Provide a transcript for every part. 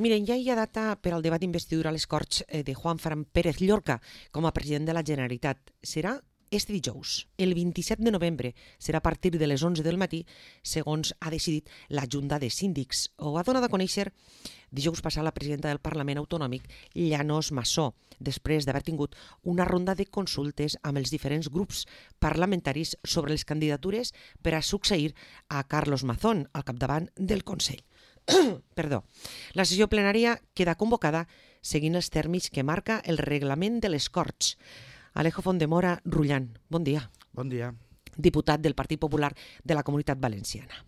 Miren, ja hi ha data per al debat d'investidura a les Corts de Juan Fran Pérez Llorca com a president de la Generalitat. Serà este dijous, el 27 de novembre. Serà a partir de les 11 del matí, segons ha decidit la Junta de Síndics. Ho ha donat a conèixer dijous passat la presidenta del Parlament Autonòmic, Llanos Massó, després d'haver tingut una ronda de consultes amb els diferents grups parlamentaris sobre les candidatures per a succeir a Carlos Mazón al capdavant del Consell. Perdó. La sessió plenària queda convocada seguint els termes que marca el reglament de les Corts. Alejo Fondemora Rullan, bon dia. Bon dia. Diputat del Partit Popular de la Comunitat Valenciana.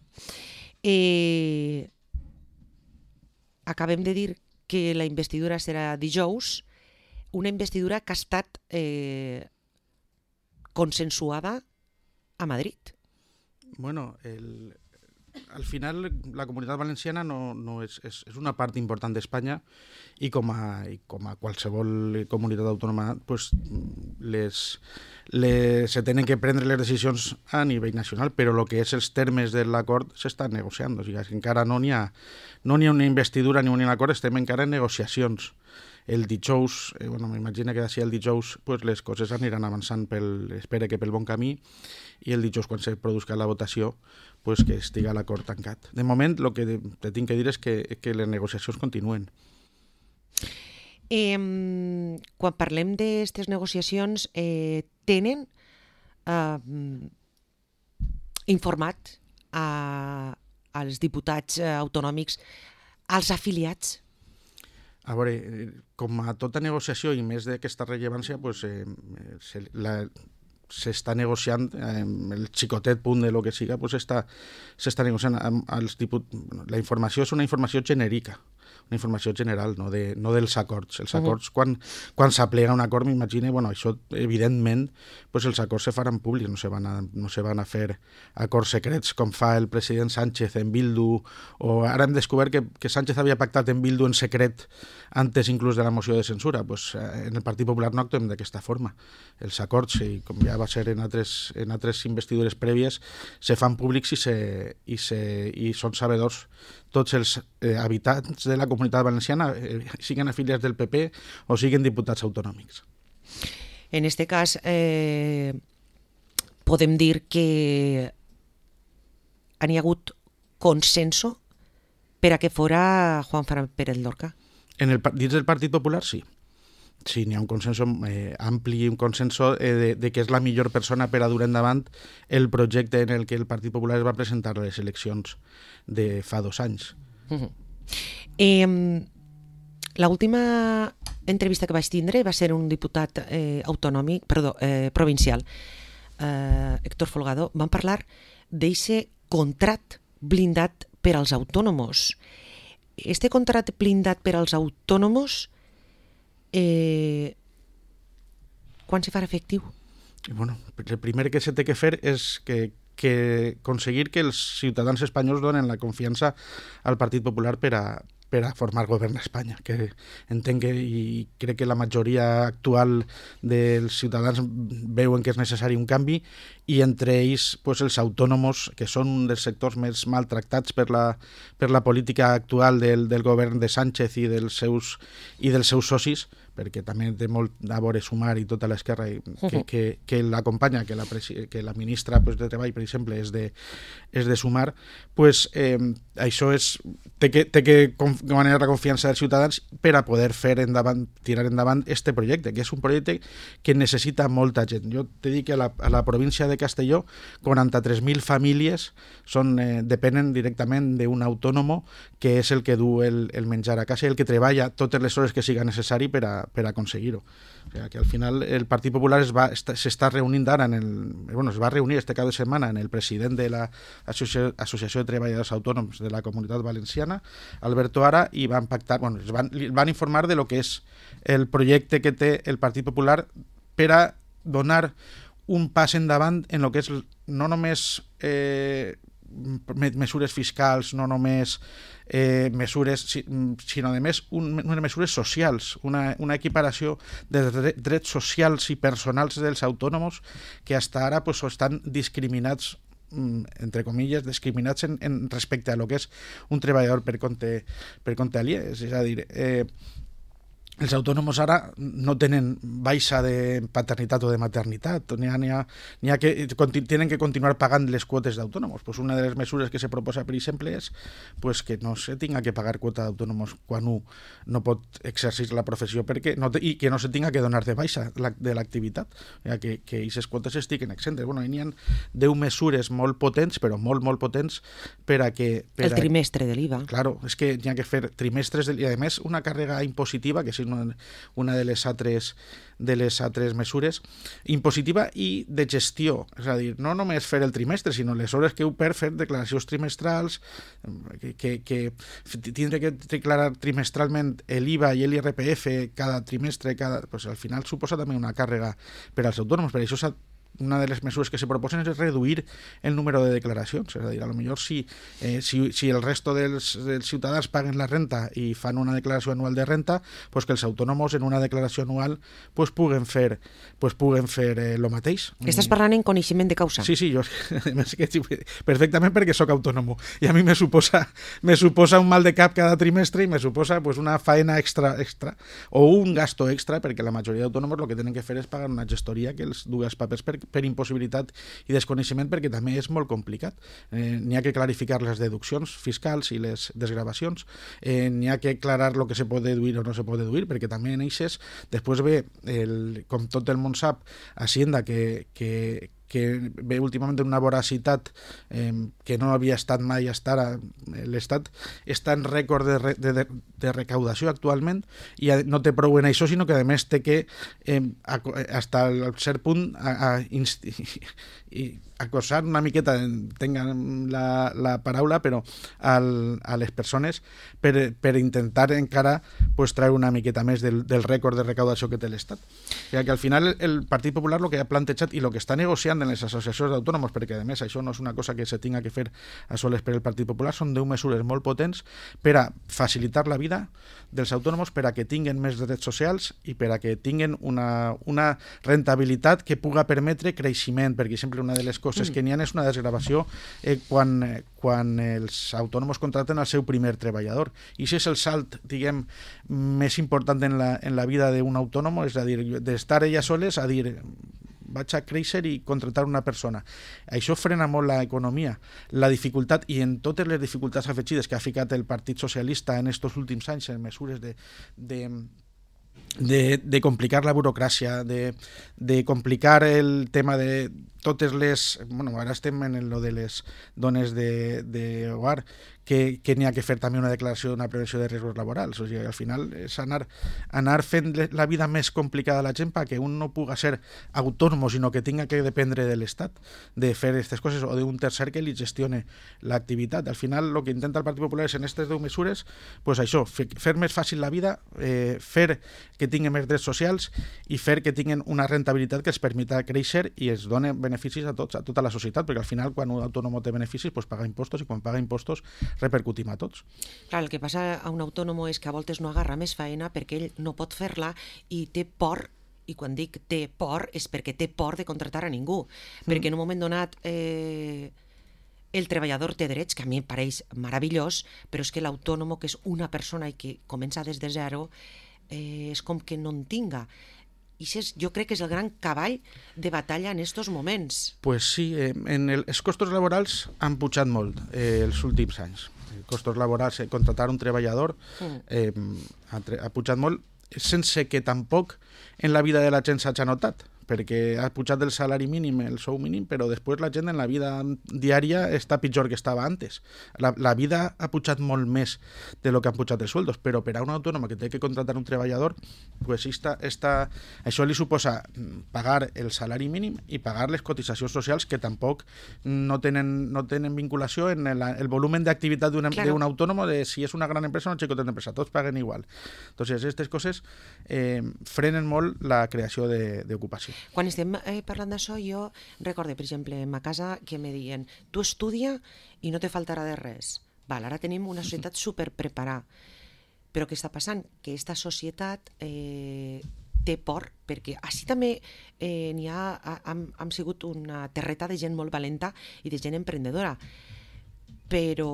Acabem de dir que la investidura serà dijous, una investidura que ha estat consensuada a Madrid. Bueno, al final la Comunitat Valenciana no és una part important d'Espanya i com a qualsevol comunitat autònoma pues, se tenen que prendre les decisions a nivell nacional, però el que és els termes de l'acord s'estan negociant. O sigui, encara no n'hi ha una investidura ni un acord, estem encara en negociacions. El dijous, m'imagino que d'ací el dijous pues, les coses aniran avançant espero que pel bon camí, i el dijous quan se produzca la votació pues, que estiga l'acord tancat. De moment el que te tinc que dir és que les negociacions continuen. Quan parlem d'aquestes negociacions, tenen informat als diputats autonòmics, als afiliats? A veure, com a tota negociació i més d'aquesta rellevància, pues, s'està negociant, el xicotet punt de lo que siga, pues s'està negociant amb els diputats. La informació és una informació genèrica, una informació general, no dels acords. Els acords, quan s'aplega un acord, m'imagino, això evidentment pues els acords se faran públics, no se van a fer acords secrets com fa el president Sánchez en Bildu, o ara hem descobert que Sánchez havia pactat en Bildu en secret antes inclús de la moció de censura. Pues en el Partit Popular no actuem d'aquesta forma. Els acords, i com ja va ser en altres investidures prèvies, se fan públics i són sabedors tots els habitants de la Comunitat Valenciana, siguin afiliats del PP o siguin diputats autonòmics. En este cas, podem dir que hi ha hagut consenso per a que fora Juan Fran Pérez Llorca? Dins del Partit Popular, sí. Sí, n'hi ha un consenso ampli, un consenso de que és la millor persona per a dur endavant el projecte en el que el Partit Popular es va presentar a les eleccions de fa 2 anys. L'última entrevista que vaig tindre va ser un diputat provincial, Héctor Folgado. Van parlar d'aquest contrat blindat per als autònoms. Este contrat blindat per als autònoms, quan se farà efectiu? Bueno, el primer que se té que fer és que aconseguir que els ciutadans espanyols donen la confiança al Partit Popular per a formar govern a Espanya, que entenc i crec que la majoria actual dels ciutadans veuen que és necessari un canvi, i entre ells pues, els autònoms, que són un dels sectors més maltractats per la política actual del govern de Sánchez i dels seus socis, perquè també té molt a veure Sumar i tota l'esquerra que l'acompanya, que la ministra pues, de Treball, per exemple, és de Sumar, pues, això té que guanyar la confiança dels ciutadans per a poder tirar endavant este projecte, que és un projecte que necessita molta gent. Jo te dic que a la província de Castelló 43.000 famílies depenen directament d'un autònom que és el que du el menjar a casa i el que treballa totes les hores que siga necessari per a aconseguir-ho. O sigui, que al final el Partit Popular s'està reunint ara, es va reunir este cap de setmana en el president de l'Associació de Treballadors Autònoms de la Comunitat Valenciana, Alberto Ara, i van pactar, van informar de lo que és el projecte que té el Partit Popular per a donar un pas endavant en el que és no només mesures fiscals, no només mesures, sinó a més unes mesures socials, una equiparació de drets socials i personals dels autònoms que fins ara pues, estan discriminats entre comilles, discriminats respecte a lo que és un treballador per compte aliè. És a dir, els autònoms ara no tenen baixa de paternitat o de maternitat, n'hi ha que tienen que continuar pagant les quotes d'autònoms. Pues una de les mesures que se proposa, per exemple, és pues, que no se tinga que pagar quota d'autònoms quan un no pot exercir la professió i que no se tinga que donar de baixa de l'activitat, que aquestes quotes estiguen exentes. Bueno, n'hi ha 10 mesures molt potents, però molt potents, per a que... El trimestre de l'IVA. Claro, és que n'hi ha que fer trimestres, i a més una càrrega impositiva, que és una de les altres mesures, impositiva i de gestió, és a dir, no només fer el trimestre, sinó les hores que heu per fer declaracions trimestrals, que tindre que declarar trimestralment l'IVA i l'IRPF cada trimestre, pues al final suposa també una càrrega per als autònoms. Per això una de les mesures que se proposen és reduir el número de declaracions, és a dir, a lo millor si el resto dels ciutadans paguen la renta i fan una declaració anual de renta, pues que els autònoms en una declaració anual pues puguen fer el mateix. Estàs parlant en coneixement de causa. Sí, jo perfectament, perquè sóc autònom i a mi me suposa un mal de cap cada trimestre i me suposa pues una faena extra o un gasto extra, perquè la majoria d'autònoms el que tenen que fer és pagar una gestoria que els duga els papers per impossibilitat i desconeixement, perquè també és molt complicat. N'hi ha que clarificar les deduccions fiscals i les desgravacions, n'hi ha que aclarar el que se pot deduir o no se pot deduir, perquè també en eixes després ve, com tot el món sap, Hacienda, que ve últimament una voracitat que no havia estat mai hasta ara. L'Estat està en rècord de recaudació actualment i no té prou en això, sinó que a més té que hasta el cert punt acosar una miqueta, tengan la paraula, però a les persones per intentar encara pues, traure una miqueta més del rècord de recaudació que té l'Estat. O sigui que al final el Partit Popular el que ha plantejat i el que està negociant en les associacions d'autònoms, perquè a més això no és una cosa que se tinga que fer a soles per el Partit Popular, són 10 mesures molt potents per a facilitar la vida dels autònoms, per a que tinguen més drets socials i per a que tinguen una rentabilitat que puga permetre creixement, perquè sempre una de les coses que n'hi ha és una desgravació quan els autònoms contracten el seu primer treballador. I això és el salt, diguem, més important en la vida d'un autònom, és a dir, d'estar ella soles a dir vaig a créixer i contractar una persona. Això frena molt l'economia. La dificultat, i en totes les dificultats afegides que ha ficat el Partit Socialista en estos últims anys en mesures de complicar la burocràcia, de complicar el tema de totes les... Bueno, ara estem en lo de les dones d'hogar, que n'hi ha que fer també una declaració d'una prevenció de riscos laborals. O sigui, al final és anar fent la vida més complicada a la gent perquè un no puga ser autònom, sinó que tinga que dependre de l'Estat de fer aquestes coses o d'un tercer que li gestione l'activitat. Al final el que intenta el Partit Popular és en aquestes 10 mesures pues això, fer més fàcil la vida, fer que tinguin més drets socials i fer que tinguin una rentabilitat que els permeta créixer i es doni beneficis a tots, a tota la societat, perquè al final quan un autònom té beneficis pues paga impostos i quan paga impostos repercutim a tots. Clar, el que passa a un autònom és que a voltes no agarra més feina perquè ell no pot fer-la i té por, i quan dic té por és perquè té por de contractar a ningú, perquè en un moment donat el treballador té drets, que a mi em pareix meravellós, però és que l'autònom, que és una persona i que comença des de zero, és com que no en tinga. I jo crec que és el gran cavall de batalla en estos moments. Pues sí, els costos laborals han pujat molt els últims anys. Els costos laborals, contractar un treballador ha pujat molt, sense que tampoc en la vida de la gent s'hagi notat, perquè ha pujat el salari mínim, el sou mínim, però després la gent en la vida diària està pitjor que estava antes. La vida ha pujat molt més de lo que han pujat els sueldos, però per a un autònom que té que contractar un treballador, pues això li suposa pagar el salari mínim i pagar les cotitzacions socials que tampoc no tenen vinculació en el volumen d'activitat d'un autònom, de si és una gran empresa o una xicoteta empresa, tots paguen igual. Entonces, aquestes coses frenen molt la creació d'ocupació. Quan estem parlant d'això, jo recordo, per exemple, en ma casa que me diuen tu estudia i no te faltarà de res. Val, ara tenim una societat superpreparada. Però què està passant? Que aquesta societat té por, perquè així també hem sigut una terreta de gent molt valenta i de gent emprendedora, però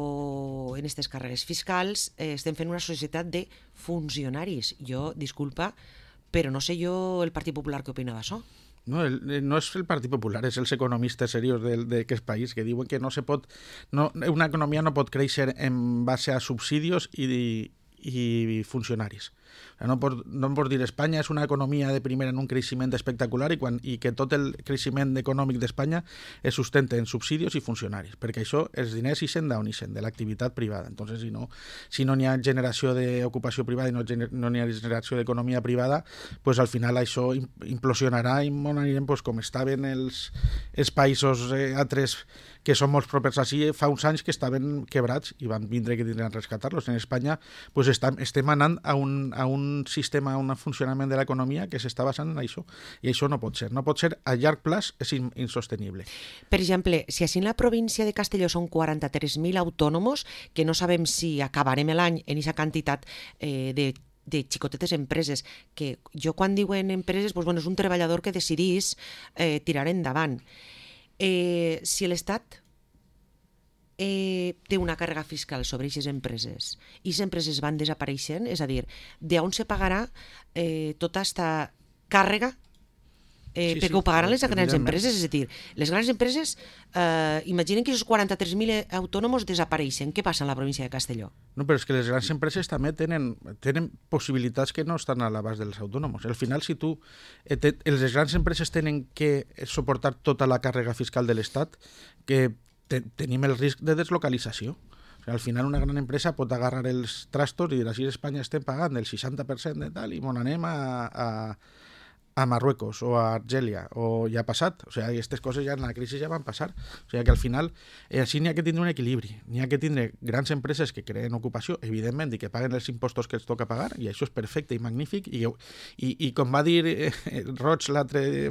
en aquestes carreres fiscals estem fent una societat de funcionaris. Jo, disculpa, però no sé jo el Partit Popular què opina d'això. No, no és el Partit Popular, és els economistes serios d'aquest país que diuen que no se pot, una economia no pot créixer en base a subsidios i funcionaris. No em pots dir Espanya és una economia de primera en un creixement espectacular i que tot el creixement econòmic d'Espanya es sustenta en subsidios i funcionaris, perquè això, els diners ixen d'on ixen, de l'activitat privada. Entonces, si no n'hi ha generació d'ocupació privada i no n'hi ha generació d'economia privada, pues al final això implosionarà i anirem pues, com estaven els països altres que són molt propers així, fa uns anys que estaven quebrats i van vindre que tindran a rescatar-los. En Espanya pues, estem anant a un sistema, a un funcionament de l'economia que s'està basant en això. I això no pot ser. No pot ser a llarg plaç, és insostenible. Per exemple, si així en la província de Castelló són 43.000 autònomos, que no sabem si acabarem l'any en aquesta quantitat de xicotetes empreses, que jo quan diuen empreses, doncs, és un treballador que decidís tirar endavant. Si l'Estat té una càrrega fiscal sobre aquestes empreses i les empreses van desapareixent, és a dir, d'on se pagarà tota aquesta càrrega perquè ho pagaran les grans empreses, és a dir, les grans empreses imaginen que aquests 43.000 autònoms desapareixen. Què passa en la província de Castelló? No, però és que les grans empreses també tenen possibilitats que no estan a l'abast dels autònoms. Al final, si les grans empreses tenen que suportar tota la càrrega fiscal de l'Estat, que tenim el risc de deslocalització. O sigui, al final una gran empresa pot agarrar els trastos i dir, així a Espanya estem pagant el 60% de tal i mon anem a Marruecos o a Argèlia, o ja ha passat. O sigui, aquestes coses ja en la crisi ja van passar. O sigui que al final així n'hi ha que tindre un equilibri. N'hi ha que tindre grans empreses que creen ocupació, evidentment, i que paguen els impostos que els toca pagar, i això és perfecte i magnífic. I com va dir Roig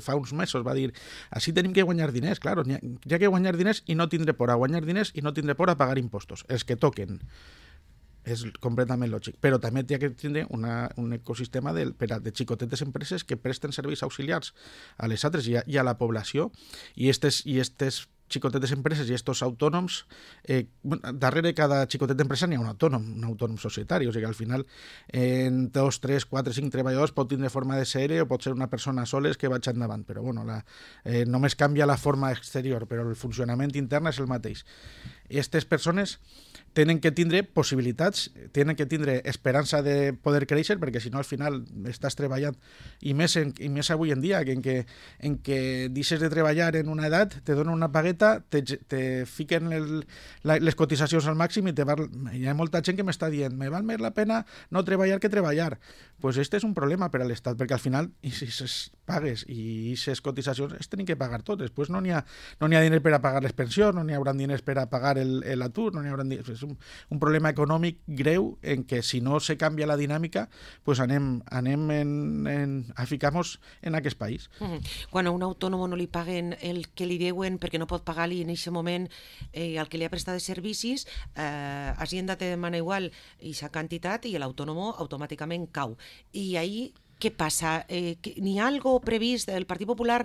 fa uns mesos, va dir, així tenim que guanyar diners, clar, hi ha que guanyar diners i no tindre por a guanyar diners i no tindre por a pagar impostos, els que toquen. És completament lògic, però també hi ha que tindre un ecosistema de xicotetes empreses que presten serveis auxiliars a les altres i a la població, i estes xicotetes empreses i estos autònoms, darrere cada xicoteta empresa n'hi ha un autònom societari, o sigui que al final en 2, 3, 4, 5 treballadors pot tindre forma de ser o pot ser una persona soles que vaig endavant, però bueno, només canvia la forma exterior, però el funcionament intern és el mateix. I aquestes persones tenen que tindre possibilitats, tenen que tindre esperança de poder créixer, perquè si no al final estàs treballant, i més avui en dia, en què deixes de treballar en una edat, te donen una pagueta, te fiquen les cotitzacions al màxim i hi ha molta gent que m'està dient me val més la pena no treballar que treballar. Pues este és un problema per a l'Estat, perquè al final aquestes pagues i aquestes cotitzacions es tenen que pagar tot. Després no n'hi ha diners per a pagar les pensions, no n'hi haurà diners per a pagar l'atur, no n'hi haurà diners. És un problema econòmic greu en què si no se canvia la dinàmica pues anem a ficar-nos en aquest país. Quan a un autònom no li paguen el que li deuen perquè no pot pagar-li en aquest moment el que li ha prestat de servicis, Hacienda te demana igual aquesta quantitat i l'autònom automàticament cau. I ahí què passa? N'hi ha algo previst? El Partit Popular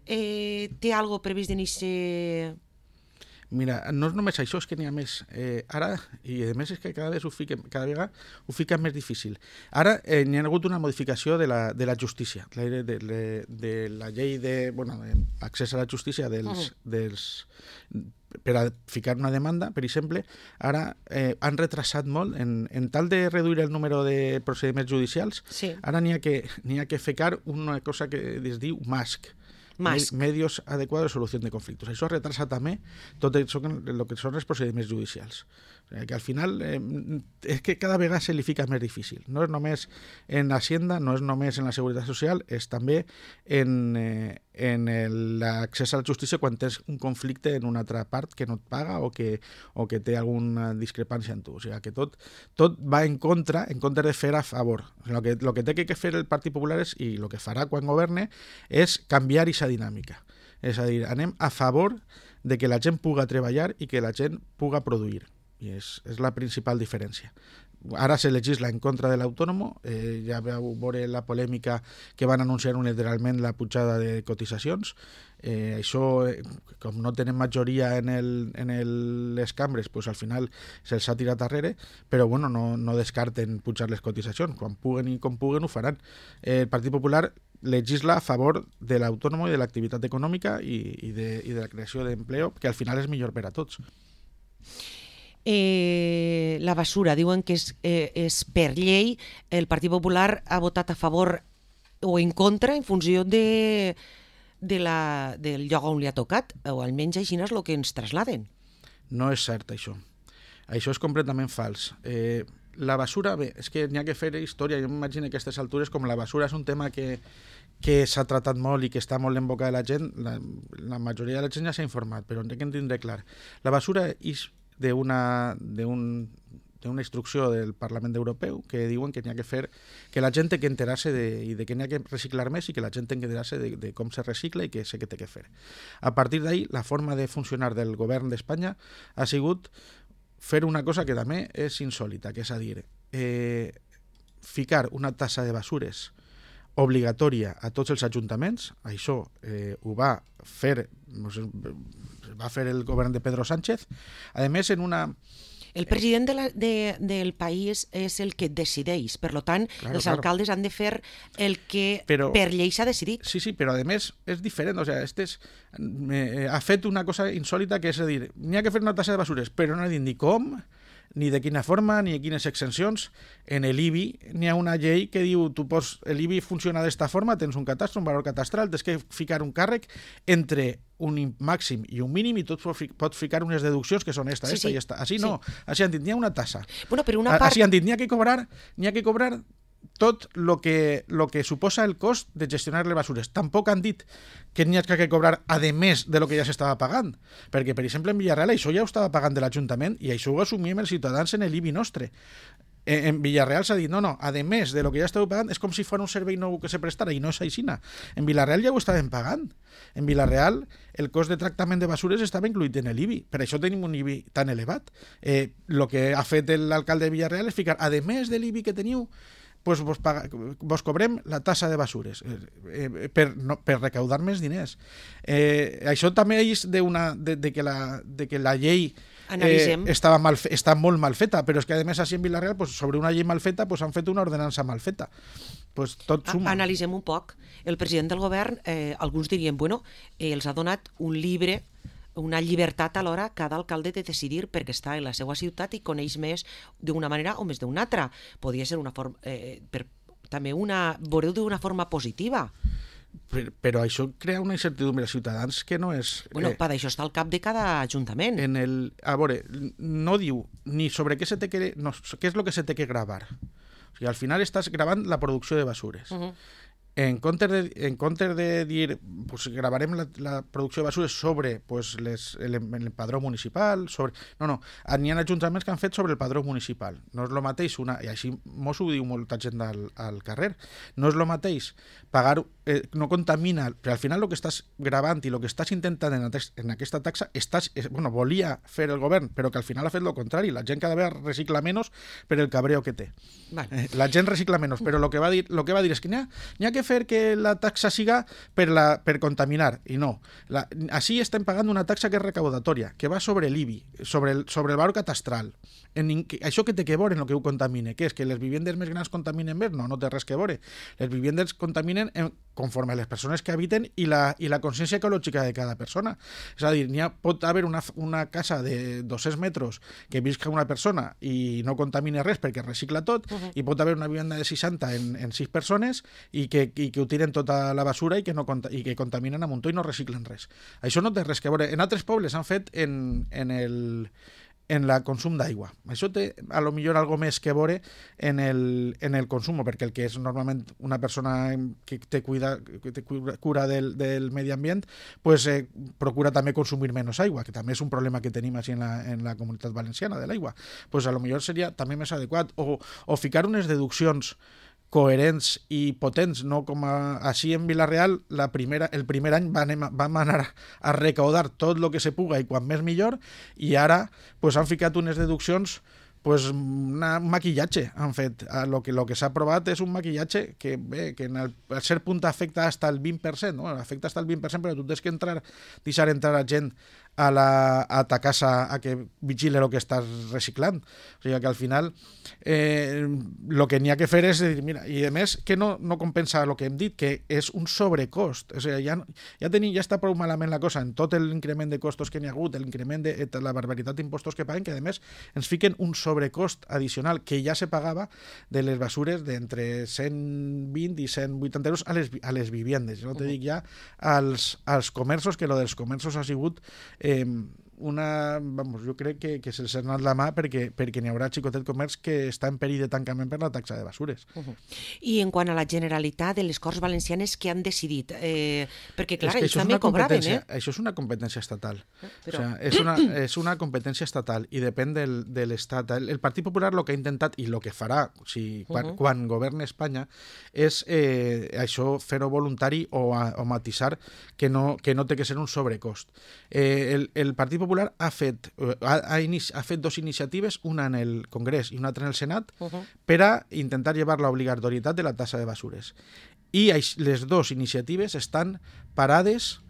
té algo previst d'iniciar? Mira, no és només això, és que n'hi ha més. Ara, i a més és que cada vegada ho fica més difícil. Ara n'hi ha hagut una modificació de la justícia, de la llei d'accés a la justícia per a ficar una demanda, per exemple. Ara han retrasat molt, en tal de reduir el número de procediments judicials, sí. Ara n'hi ha que ficar una cosa que es diu MASC, medios adecuados de solución de conflictos. Això retrasa també tot això, el que són els procediments judicials. O sigui, que al final és que cada vegada se li fica més difícil. No és només en Hacienda, no és només en la Seguretat Social, és també en l'accés a la justícia quan tens un conflicte en una altra part que no et paga o que té alguna discrepància en tu. O sigui, que tot va en compte de fer a favor. O sigui, el que té que fer el Partit Popular i el que farà quan governe és canviar aquesta dinàmica. És a dir, anem a favor de que la gent puga treballar i que la gent puga produir. I és la principal diferència. ara se legisla en contra de l'autònom, ja vau veure la polèmica que van anunciar unilateralment la pujada de cotitzacions. Això, com no tenen majoria en les cambres, pues al final se'ls ha tirat darrere, però bueno, no descarten pujar les cotitzacions. Quan puguen i com puguen ho faran. El Partit Popular legisla a favor de l'autònom i de l'activitat econòmica i de la creació d'empleo, que al final és millor per a tots. La basura, diuen que és per llei. El Partit Popular ha votat a favor o en contra en funció del lloc on li ha tocat, o almenys així és el que ens trasladen. No és cert, això. Això és completament fals. La basura, bé, és que n'hi ha que fer història. Jo m'imagino que a aquestes altures, com la basura és un tema que s'ha tratat molt i que està molt en boca de la gent, la majoria de la gent ja s'ha informat, però hem de tindre clar. La basura és d'una instrucció del Parlament Europeu que diuen que n'hi ha que fer, que la gent té que enterar-se de que n'hi ha que reciclar més i que la gent té que enterar-se de com se recicla i que sé què té que fer. A partir d'ahí, la forma de funcionar del govern d'Espanya ha sigut fer una cosa que també és insòlita, que és a dir, ficar una tassa de basures obligatòria a tots els ajuntaments. Això ho va fer el govern de Pedro Sánchez. A més, el president del país és el que decideix, per tant, els alcaldes han de fer el que per llei s'ha decidit. Sí, però a més és diferent, o sigui, ha fet una cosa insòlita, que és a dir, n'hi ha que fer una tassa de basures, però no ha dit ni com, ni de quina forma, ni de quines exencions. En l'IBI n'hi ha una llei que diu, l'IBI funciona d'esta forma, tens un catastre, un valor catastral, tens que ficar un càrrec entre un màxim i un mínim i tot pot ficar unes deduccions que són esta i esta. Així no, així han dit, n'hi ha una tassa. Així han dit, n'hi ha que cobrar tot el que suposa el cost de gestionar les basures. Tampoc han dit que n'hi ha que cobrar a més de lo que ja s'estava pagant, perquè, per exemple, en Villarreal això ja ho estava pagant de l'Ajuntament i això ho assumíem els ciutadans en l'IBI nostre. En Villarreal s'ha dit, no, a més de lo que ja estàveu pagant, és com si fos un servei nou que se prestara, i no és aixina. En Villarreal ja ho estàvem pagant. En Villarreal el cost de tractament de basures estava incluït en l'IBI, per això tenim un IBI tan elevat. El que ha fet l'alcalde de Villarreal és ficar, a més de l'IBI que teniu, pues vos cobrem la tassa de basures per recaudar més diners. Això també és de que la llei està molt mal feta, però és que a més així en Villarreal, pues, sobre una llei mal feta, pues, han fet una ordenança mal feta. Pues, tot suma. Analitzem un poc. El president del govern, alguns dirien, els ha donat un llibre, una llibertat alhora a cada alcalde de decidir perquè està en la seva ciutat i coneix més d'una manera o més d'una altra. Podria ser una forma, també veureu d'una forma positiva. Però això crea una incertidumbre als ciutadans que no és... Per això està al cap de cada ajuntament. A veure, no diu ni sobre què què és el que se té que gravar. O sigui, al final estàs gravant la producció de basures. En comptes de dir, pues, gravarem la producció de basures sobre pues, el padró municipal, n'hi ha ajuntaments que han fet sobre el padró municipal. No és el mateix, i així mos ho diu molta gent al carrer, no és el mateix pagar, no contamina, però al final el que estàs gravant i el que estàs intentant en aquesta taxa, volia fer el govern, però que al final ha fet el contrari. La gent cada vegada recicla menys per el cabreo que té. La gent recicla menys, però el que va dir és que n'hi ha que fer que la taxa siga per contaminar, i no. Així estem pagant una taxa que és recaudatòria, que va sobre l'IBI, sobre el valor catastral. Això que té que veure en el que ho contamine, que és que les vivendes més grans contaminen més? No té res que veure. Les vivendes contaminen conforme a les persones que habiten i la consciència ecològica de cada persona. És a dir, pot haver una casa de 200 metres que visca una persona i no contamine res perquè recicla tot, i pot haver una vivenda de 60 en 6 persones i que ho tiren tota la basura i que contaminen a muntó i no reciclen res. Això no té res que veure. En altres pobles han fet en el consum d'aigua. Això té a lo millor algo més que veure en el consum, perquè el que és normalment una persona que té cura del medi ambient, pues procura també consumir menys aigua, que també és un problema que tenim així en la comunitat valenciana de l'aigua. Pues a lo millor seria també més adequat o ficar unes deduccions coherents i potents, no com així en Villarreal el primer any vam anar a recaudar tot el que se puga i quan més millor, i ara pues, han ficat unes deduccions pues un maquillatge han fet. Lo que s'ha aprovat és un maquillatge que, bé, que al cert punt afecta hasta el 20%, no? Afecta hasta el 20%, però tu tens que deixar entrar a gent a ta casa a que vigile el que estàs reciclant. O sigui que al final el que n'hi ha que fer és dir, mira, i a més que no compensa el que hem dit, que és un sobrecost. O sigui, ja està prou malament la cosa en tot l'increment de costos que n'hi ha hagut, l'increment de la barbaritat d'impostos que paguen, que a més ens fiquen un sobrecost addicional que ja se pagava de les basures d'entre 120 i 180 euros a les viviendes. No te dic ja als comerços, que lo dels comerços ha sigut jo crec que se'ls ha anat la mà perquè n'hi haurà xicotet comerç que està en perill de tancament per la taxa de basures. I en quant a la Generalitat de les Corts Valencianes, què han decidit? Perquè, clar, ells també cobraven, Això és una competència estatal. Però... O sea, és una competència estatal i depèn de l'Estat. El Partit Popular el que ha intentat i el que farà quan governa Espanya és això, fer-ho voluntari o matisar que no té que ser un sobrecost. El Partit Popular ha fet dos iniciatives, una en el Congrés i una altra en el Senat, per a intentar llevar l'obligatorietat de la tassa de basures. I les dues iniciatives estan parades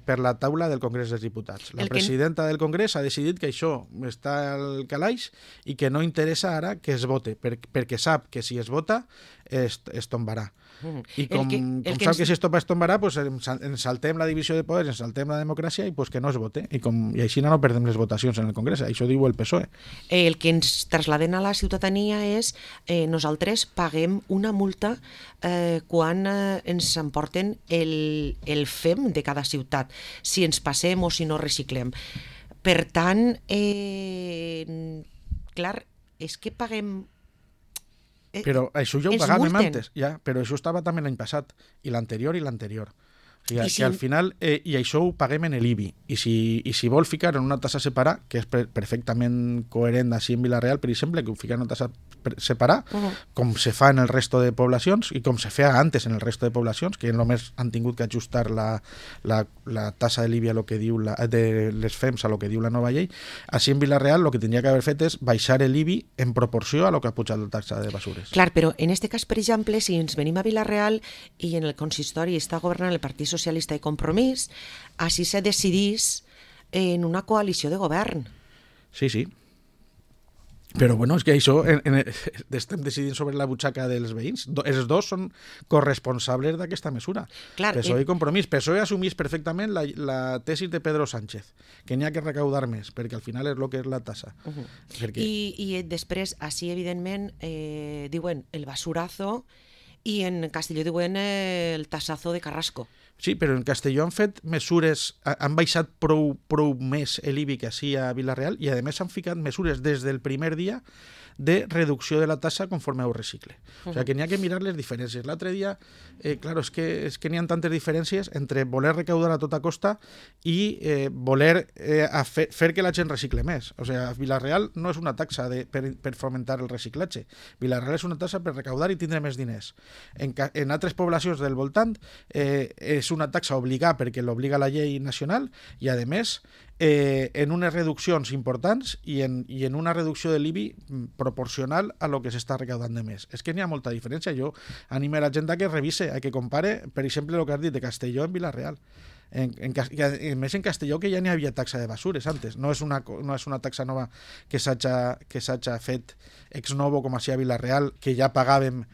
per la taula del Congrés dels Diputats. La presidenta del Congrés ha decidit que això està al calaix i que no interessa ara que es vote, perquè sap que si es vota es tombarà. I com sap que si esto es tombarà, pues ens saltem la divisió de poders, ens saltem la democràcia i pues que no es vote. I així no perdem les votacions en el Congrés. Això diu el PSOE. El que ens traslladen a la ciutadania és nosaltres paguem una multa quan ens emporten el FEM de cada ciutat, si ens passem o si no reciclem. Per tant, clar, és que paguem... Però això ja ho pagàvem antes, però això estava també l'any passat, i l'anterior. O sigui, que al final, i això ho paguem en l'IBI, i si vol ficar en una tassa separada, que és perfectament coherent així en Vila-real, per exemple, que ho fica en una tassa separada, com se fa en el resto de poblacions, i com se feia antes en el resto de poblacions, que només han tingut que ajustar la tassa de l'IBI a lo que diu de les FEMS a lo que diu la nova llei, així en Vila-real el que tindria que haver fet és baixar l'IBI en proporció a lo que ha pujat la taxa de basures. Clar, però en aquest cas, per exemple, si ens venim a Vila-real i en el consistori està governant el Partit Socialista i Compromís, així se decidís en una coalició de govern. Sí. Però bueno, és que això estem decidint sobre la butxaca dels veïns. Els dos són corresponsables d'aquesta mesura. Clar, PSOE i Compromís. PSOE assumís perfectament la tesi de Pedro Sánchez, que n'hi ha que recaudar més, perquè al final és el que és la tassa. I després, així, evidentment, diuen el basurazo, i en Castelló diuen el tassazo de Carrasco. Sí, però en Castelló han fet mesures, han baixat prou més l'IBI que així a Vila-real i a més han ficat mesures des del primer dia de reducció de la tassa conforme ho recicle. O sigui que n'hi ha que mirar les diferències. L'altre dia, clar, és que n'hi ha tantes diferències entre voler recaudar a tota costa i voler fer que la gent recicle més. O sigui, Vila-real no és una taxa per fomentar el reciclatge. Vila-real és una taxa per recaudar i tindre més diners. En altres poblacions del voltant és una taxa obligada perquè l'obliga la llei nacional i, a més, en unes reduccions importants i en una reducció de l'IBI proporcional a lo que s'està recaudant de més. És que n'hi ha molta diferència. Jo animo a la gent a que revise, a que compare, per exemple, el que has dit de Castelló en Vila-real. A més, en Castelló que ja n'hi havia taxa de basures antes. No és una taxa nova que s'hagi fet ex novo com així a Vila-real, que ja pagàvem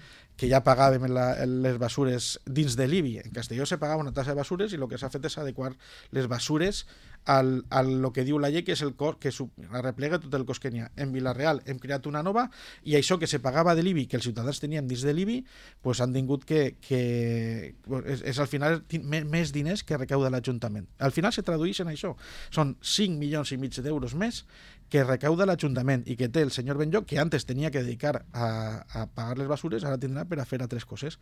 les basures dins de l'IBI. En Castelló se pagava una tassa de basures i el que s'ha fet és adequar les basures a lo que diu la llei, que és el cost que replega tot el cost que n'hi ha. En Vila-real hem creat una nova i això que se pagava de l'IBI, que els ciutadans tenien dins de l'IBI, pues han tingut que és al final més diners que recauda l'Ajuntament. Al final se tradueix en això. Són 5,5 milions d'euros més que recauda l'Ajuntament i que té el senyor Benlloch, que antes tenia que dedicar a pagar les basures, ara tindrà per a fer altres coses.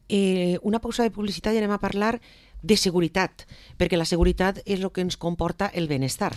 Una pausa de publicitat i anem a parlar de seguretat, perquè la seguretat és el que ens comporta el benestar.